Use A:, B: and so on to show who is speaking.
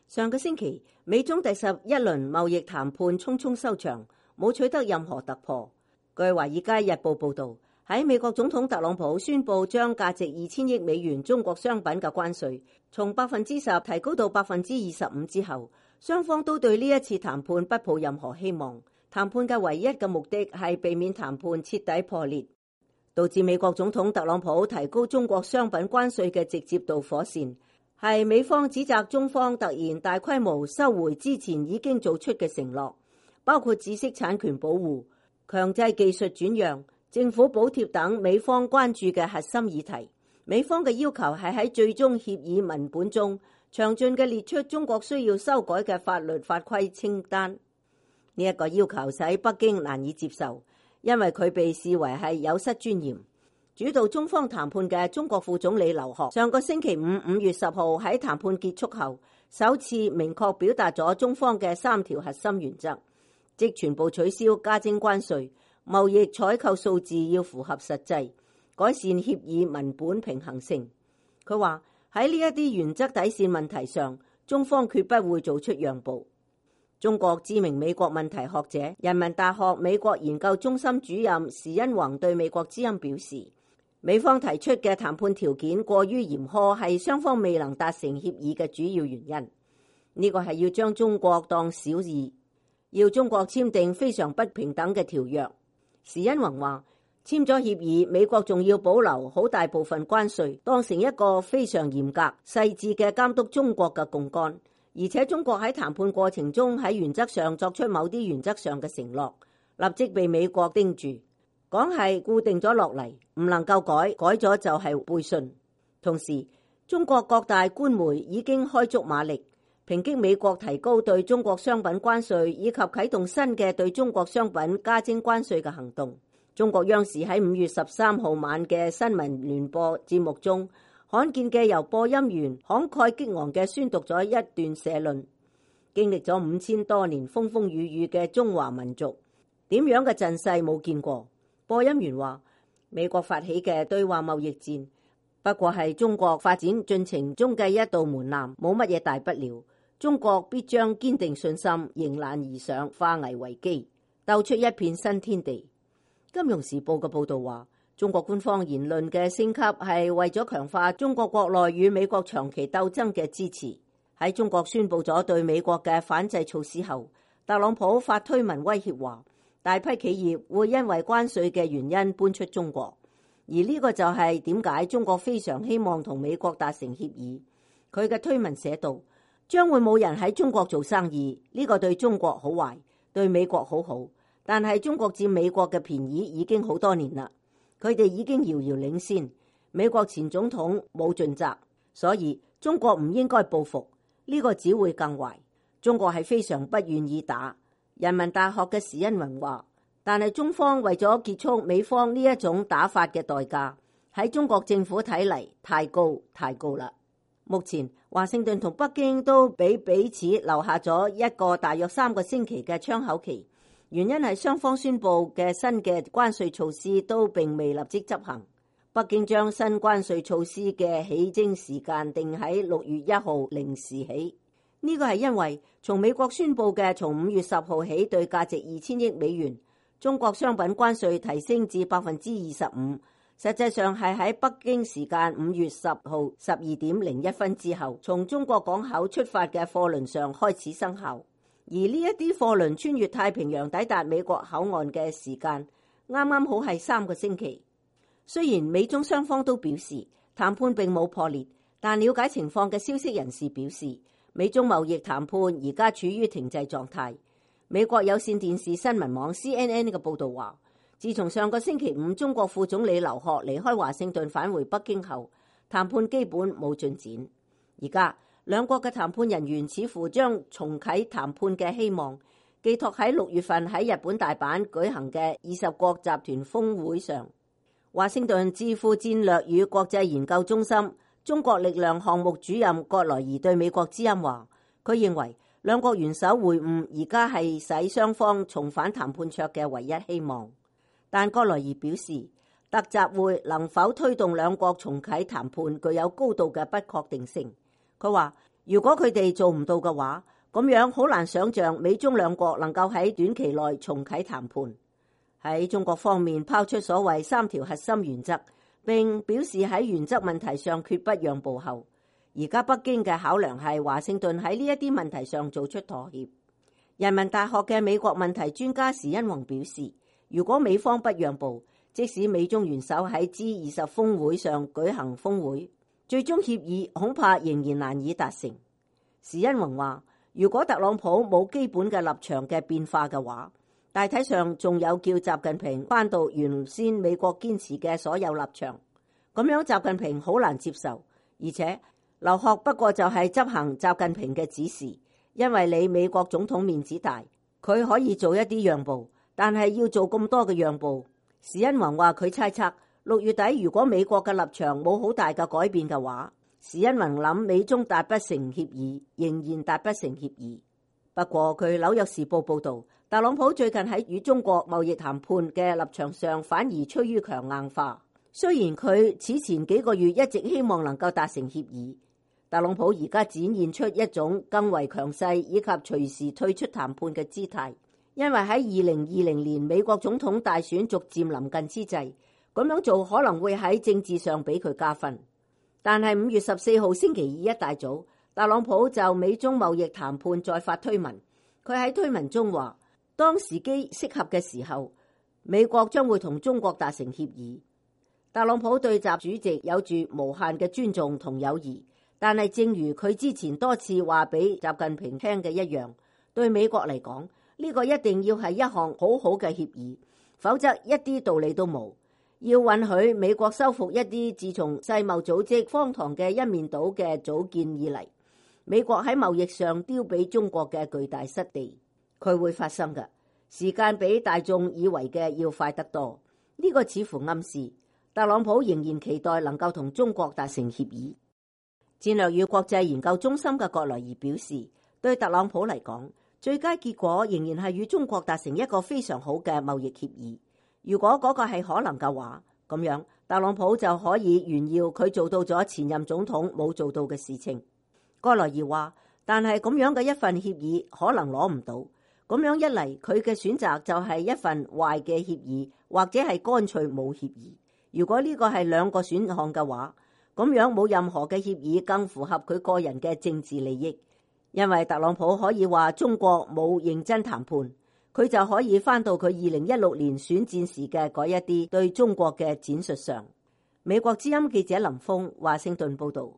A: 上個星期，美中第11輪貿易談判匆匆收場，冇取得任何突破。據《華爾街日報》報導，喺美國總統特朗普宣布將價值2000億美元中國商品嘅關稅從10%提高到25%之後，雙方都對呢一次談判不抱任何希望。談判嘅唯一嘅目的係避免談判徹底破裂。導致美國總統特朗普提高中國商品關稅嘅直接導火線，係美方指責中方突然大規模收回之前已經做出嘅承諾，包括知識產權保護、強制技術轉讓、政府補貼等美方關注嘅核心議題。美方嘅要求係喺最終協議文本中詳盡嘅列出中國需要修改嘅法律法規清單。呢一個要求使北京難以接受，因為佢被視為係有失尊嚴。主導中方談判嘅中國副總理劉鶴上個星期5月10號喺談判結束後，首次明確表達咗中方嘅3條核心原則，即全部取消加徵關稅、貿易採購數字要符合實際、改善協議文本平衡性。佢話喺呢一啲原則底線問題上，中方決不會做出讓步。中國知名美國問題學者、人民大學美國研究中心主任時殷弘對美國之音表示，美方提出嘅談判條件過於嚴苛，係雙方未能達成協議嘅主要原因。呢個係要將中國當小二，要中國簽訂非常不平等嘅條約。時殷弘話，簽咗協議，美國仲要保留好大部分關稅，當成一個非常嚴格、細緻嘅監督中國嘅槓桿。而且中國喺談判過程中喺原則上作出某啲原則上嘅承諾，立即被美國盯住，講係固定咗落嚟，唔能夠改，改咗就係背信。同時，中國各大官媒已經開足馬力抨擊美國提高對中國商品關稅以及啟動新嘅對中國商品加徵關稅嘅行動。中國央視喺5月13號晚嘅新聞聯播節目中，罕見嘅由播音員慷慨激昂嘅宣讀咗一段社論。經歷咗5000多年風風雨雨嘅中華民族，點樣嘅陣勢冇見過。播音員話，美國發起嘅對華貿易戰不過係中國發展進程中嘅一道門檻，冇乜嘢大不了。中國必將堅定信心，迎難而上，化危為機，鬥出一片新天地。金融時報嘅報道話，中國官方言論嘅升級係為咗強化中國國內與美國長期鬥爭嘅支持。喺中國宣布咗對美國嘅反制措施後，特朗普發推文威脅話，大批企業會因為關稅嘅原因搬出中國。而呢個就係點解中國非常希望同美國達成協議。佢嘅推文寫道，將會冇人喺中國做生意，呢個對中國好壞，對美國好好。但係中國佔美國嘅便宜已經好多年啦。佢哋已經遙遙領先，美國前總統冇盡責，所以中國唔應該報復，呢個只會更壞。中國係非常不願意打。人民大學嘅時殷弘話，但係中方為咗結束美方呢一種打法嘅代價，喺中國政府睇嚟太高啦。目前華盛頓同北京都俾彼此留下咗一個大約3個星期嘅窗口期。原因係雙方宣布嘅新嘅關稅措施都並未立即執行。北京將新關稅措施嘅起徵時間定喺6月1號零時起。呢個係因為從美國宣布嘅從5月10號起對價值2000億美元中國商品關稅提升至25%，實際上係喺北京時間5月10號12點01分之後，從中國港口出發嘅貨輪上開始生效。而呢一啲貨輪穿越太平洋抵達美國口岸嘅時間，啱啱好係3個星期。雖然美中雙方都表示談判並冇破裂，但了解情況嘅消息人士表示，美中貿易談判而家處於停滯狀態。美國有線電視新聞網 CNN 嘅報導話，自從上個星期5中國副總理劉鶴離開華盛頓返回北京後，談判基本冇進展。而家兩國嘅談判人員似乎將重啟談判嘅希望寄託喺6月份喺日本大阪舉行嘅20國集團峰會上。華盛頓智庫戰略與國際研究中心中國力量項目主任葛萊儀對美國之音話，佢認為兩國元首會晤而家係使雙方重返談判桌嘅唯一希望。但葛萊儀表示，特集會能否推動兩國重啟談判具有高度嘅不確定性。佢話如果佢哋做唔到嘅話，咁樣好難想像美中兩國能夠喺短期內重啟談判。喺中國方面拋出所謂3條核心原則，並表示喺原則問題上決不讓步後，而家北京嘅考量係華盛頓喺呢一啲問題上做出妥協。人民大學嘅美國問題專家時殷弘表示，如果美方不讓步，即使美中元首喺 G20 峰會上舉行峰會，最終協議恐怕仍然難以達成。時殷弘話，如果特朗普冇基本嘅立場嘅變化嘅話，大體上仲有叫習近平返到原先美國堅持嘅所有立場，咁樣習近平好難接受。而且劉鶴不過就係執行習近平嘅指示，因為你美國總統面子大，佢可以做一啲讓步，但係要做咁多嘅讓步。時殷弘話佢猜測6月底如果美國嘅立場冇好大嘅改變嘅話，時殷弘諗美中達不成協議，仍然達不成協議。不過據紐約時報報道，特朗普最近喺與中國貿易談判嘅立場上反而趨於強硬化。雖然佢此前幾個月一直希望能夠達成協議，特朗普而家展現出一種更為強勢以及隨時退出談判嘅姿態。因為喺2020年美國總統大選逐漸臨近之際，咁樣做可能會喺政治上俾佢加分。但係5月14號星期二一大早，特朗普就美中貿易談判再發推文。佢喺推文中話，當時機適合嘅時候，美國將會同中國達成協議。特朗普對習主席有住無限嘅尊重同友誼，但係正如佢之前多次話俾習近平聽嘅一樣，對美國嚟講，呢個一定要係一項好好嘅協議，否則一啲道理都冇。要允許美國收復一啲自從世貿組織荒唐嘅一面倒嘅組建以嚟，美國喺貿易上丟俾中國嘅巨大失地，佢會發生嘅。時間比大眾以為嘅要快得多。呢個似乎暗示特朗普仍然期待能夠同中國達成協議。戰略與國際研究中心嘅葛萊儀表示，對特朗普嚟講，最佳結果仍然係與中國達成一個非常好嘅貿易協議。如果嗰個係可能嘅話，咁樣特朗普就可以炫耀佢做到咗前任總統冇做到嘅事情。葛萊儀話，但係咁樣嘅一份協議可能攞唔到，咁樣一嚟佢嘅選擇就係一份壞嘅協議，或者係乾脆冇協議。如果呢個係兩個選項嘅話，咁樣冇任何嘅協議更符合佢個人嘅政治利益，因為特朗普可以話中國冇認真談判，佢就可以返到佢2016年選戰時嘅嗰一啲對中國嘅展述上。美國之音記者林峰華盛頓報道。